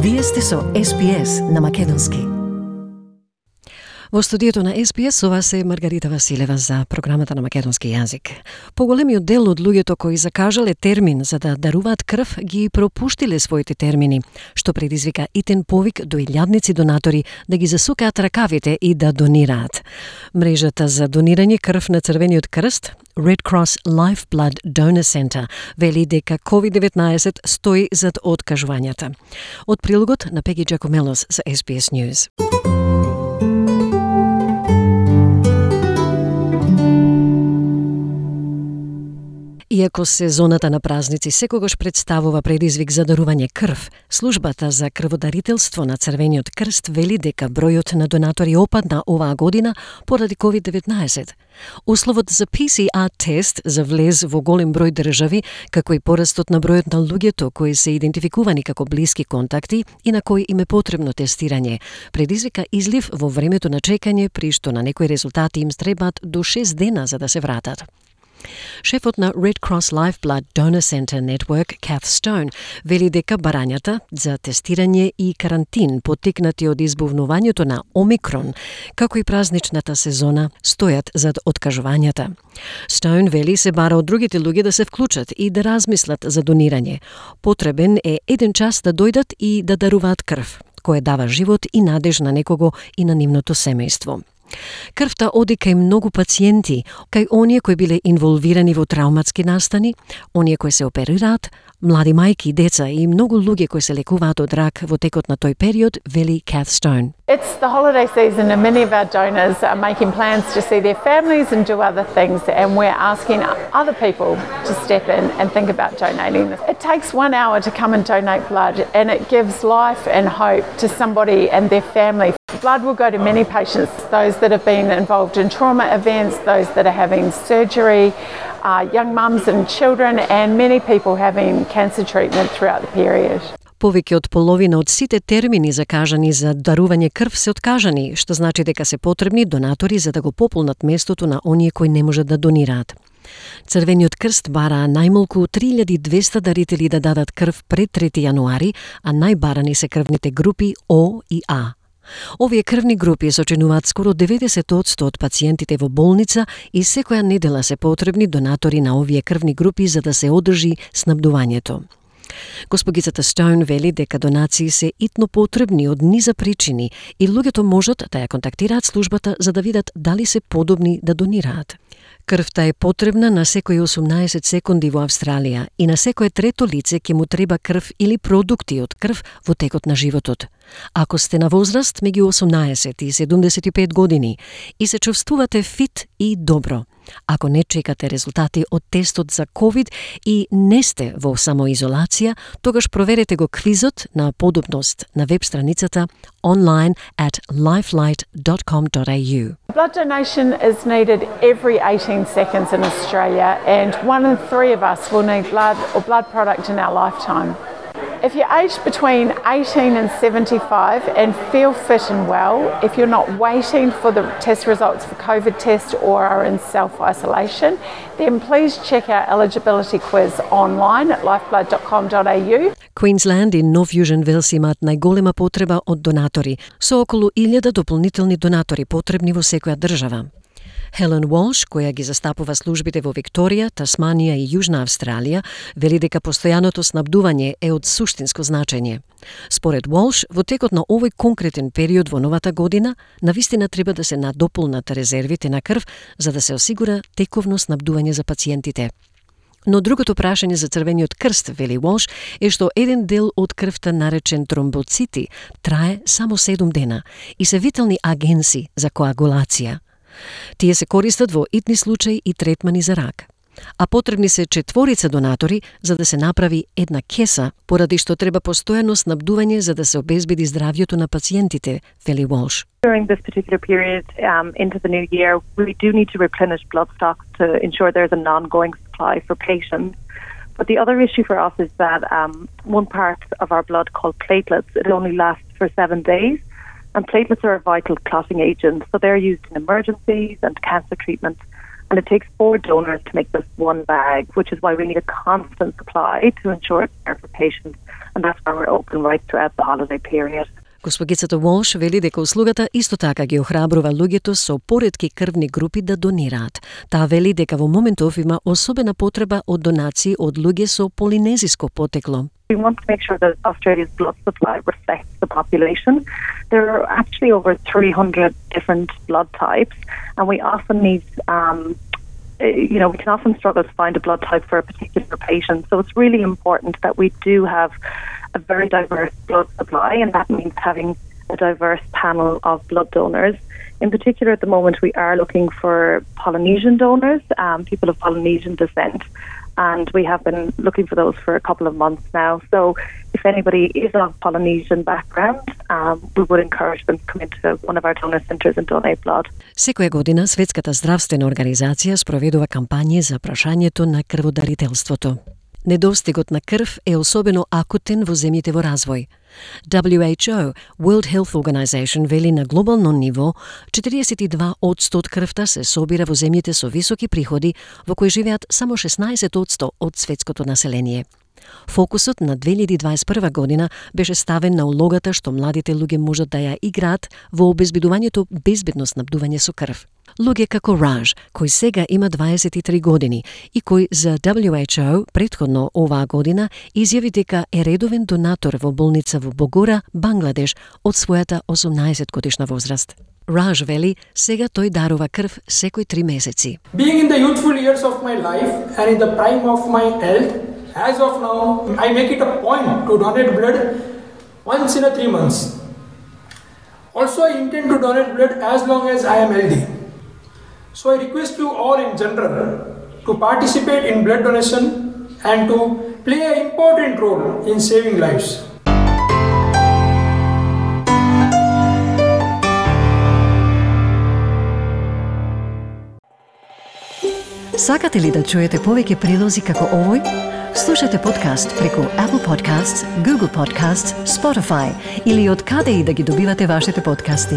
Вие сте со SBS на Македонски. Во студиото на SBS ова се Маргарита Василева за програмата на македонски јазик. Поголемиот дел од луѓето кои закажале термин за да даруваат крв ги пропуштиле своите термини, што предизвика итен повик до илјадници донатори да ги засукаат ракавите и да донираат. Мрежата за донирање крв на Црвениот крст, Red Cross Lifeblood Donor Center, вели дека COVID-19 стои зад откажувањата. Од прилогот на Пеги Джакомелос за SBS News. Иако сезоната на празници секогаш представува предизвик за дарување крв, службата за крводарителство на Црвениот крст вели дека бројот на донатори опадна оваа година поради COVID-19. Условот за PCR тест за влез во голем број држави, како и порастот на бројот на луѓето кои се идентификувани како блиски контакти и на кои им е потребно тестирање, предизвика излив во времето на чекање, при што на некои резултати им требаат до 6 дена за да се вратат. Шефот на Red Cross Lifeblood Donor Center Network, Kath Stone, вели дека барањата за тестирање и карантин поттикнати од избувнувањето на Омикрон, како и празничната сезона, стојат зад откажувањата. Stone вели се бара од другите луѓе да се вклучат и да размислат за донирање. Потребен е еден час да дојдат и да даруваат крв, кој дава живот и надеж на некого и на нивното семејство. Крвта оди кај многу пациенти, кај оние кои биле инволвирани во травматски настани, оние кои се оперираат, млади мајки, деца и многу луѓе кои се лекуваат од рак во текот на тој период, вели Kath Stone. It's the holiday season and many of our donors are making plans to see their families and do other things, and we're asking other people to step in and think about donating this. It takes 1 hour to come and donate blood, and it gives life and hope to somebody and their family. Blood will go to many patients, those that have been involved in trauma events, those that are having surgery, young mums and children, and many people having cancer treatment throughout the period. Повеќе од половина од сите термини закажани за дарување крв се откажани, што значи дека се потребни донатори за да го пополнат местото на оние кои не можат да донираат. Црвениот крст бара најмалку 3200 дарители да дадат крв пред 3 јануари, а најбарани се крвните групи О и А. Овие крвни групи сочинуваат скоро 90% од пациентите во болница и секоја недела се потребни донатори на овие крвни групи за да се одржи снабдувањето. Госпогицата Стоун вели дека донации се итно потребни од низа причини и луѓето можат да ја контактираат службата за да видат дали се подобни да донираат. Крвта е потребна на секои 18 секунди во Австралија и на секое трето лице ќе му треба крв или продукти од крв во текот на животот. Ако сте на возраст меѓу 18 и 75 години и се чувствувате фит и добро, ако не чекате резултати од тестот за COVID и не сте во самоизолација, тогаш проверете го квизот на подобност на веб страницата online at lifelight.com.au. Blood donation is needed every 18 seconds in Australia, and 1 in 3 of us will need blood or blood product in our lifetime. If you're aged between 18 and 75 and feel fit and well, if you're not waiting for the test results for COVID test or are in self-isolation, then please check our eligibility quiz online at lifeblood.com.au. Queensland и Нов Јужен Велс имаат најголема потреба од донатори, со околу 1000 дополнителни донатори потребни во секоја држава. Хелен Walsh, која ги застапува службите во Викторија, Тасманија и Јужна Австралија, вели дека постојаното снабдување е од суштинско значење. Според Walsh, во текот на овој конкретен период во новата година, навистина треба да се надополнат резервите на крв за да се осигура тековно снабдување за пациентите. Но другото прашање за Црвениот крст, вели Walsh, е што еден дел од крвта наречен тромбоцити трае само 7 дена и се витални агенси за коагулација. Тие се користат во итни случаи и третмани за рак. А потребни се 4 донатори за да се направи една кеса, поради што треба постојано снабдување за да се обезбеди здравјето на пациентите, вели Walsh. During this particular period into the new year, we do need to replenish blood stocks to ensure there's an ongoing supply for patients. But the other issue for us is that one part of our blood called platelets, it only lasts for 7 days. And platelets are a vital clotting agent, so they're used in emergencies and cancer treatment. And it takes 4 donors to make this one bag, which is why we need a constant supply to ensure care for patients. And that's why we're open right throughout the holiday period. Госпогицата Волш вели дека услугата исто така ги охрабрува луѓето со поретки крвни групи да донираат. Таа вели дека во моментов има особена потреба од донации од луѓе со полинезиско потекло. We want to make sure that Australia's blood supply reflects the population. There are actually over 300 different blood types, and we often need, we can often struggle to find a blood type for a particular patient. So it's really important that we do have a very diverse blood supply, and that means having a diverse panel of blood donors. In particular, at the moment, we are looking for Polynesian donors, people of Polynesian descent. And we have been looking for those for a couple of months now. So if anybody is of Polynesian background, we would encourage them to come into one of our donor centres and donate blood. Секоја година Светската здравствена организација спроведува кампањи за прашањето на крводарителството. Недостигот на крв е особено акутен во земјите во развој. WHO, World Health Organization, вели на глобално ниво 42% од крвта се собира во земјите со високи приходи, во кои живеат само 16% од светското население. Фокусот на 2021 година беше ставен на улогата што младите луѓе можат да ја играат во обезбедувањето безбедно снабдување со крв. Луѓе како Раж, кој сега има 23 години и кој за WHO претходно оваа година изјави дека е редовен донатор во болница во Богора, Бангладеш, од својата 18 годишна возраст. Раж вели, сега тој дарува крв секој 3 месеци. Being in the youthful years of my life and in the prime of my health, as of now, I make it a point to donate blood once in 3 months. Also, I intend to donate blood as long as I am healthy. So I request you all in general to participate in blood donation and to play an important role in saving lives. Сакате ли да чуете повеќе прилози како овој? Слушате подкаст преку Apple Podcasts, Google Podcasts, Spotify или од каде и да ги добивате вашите подкасти.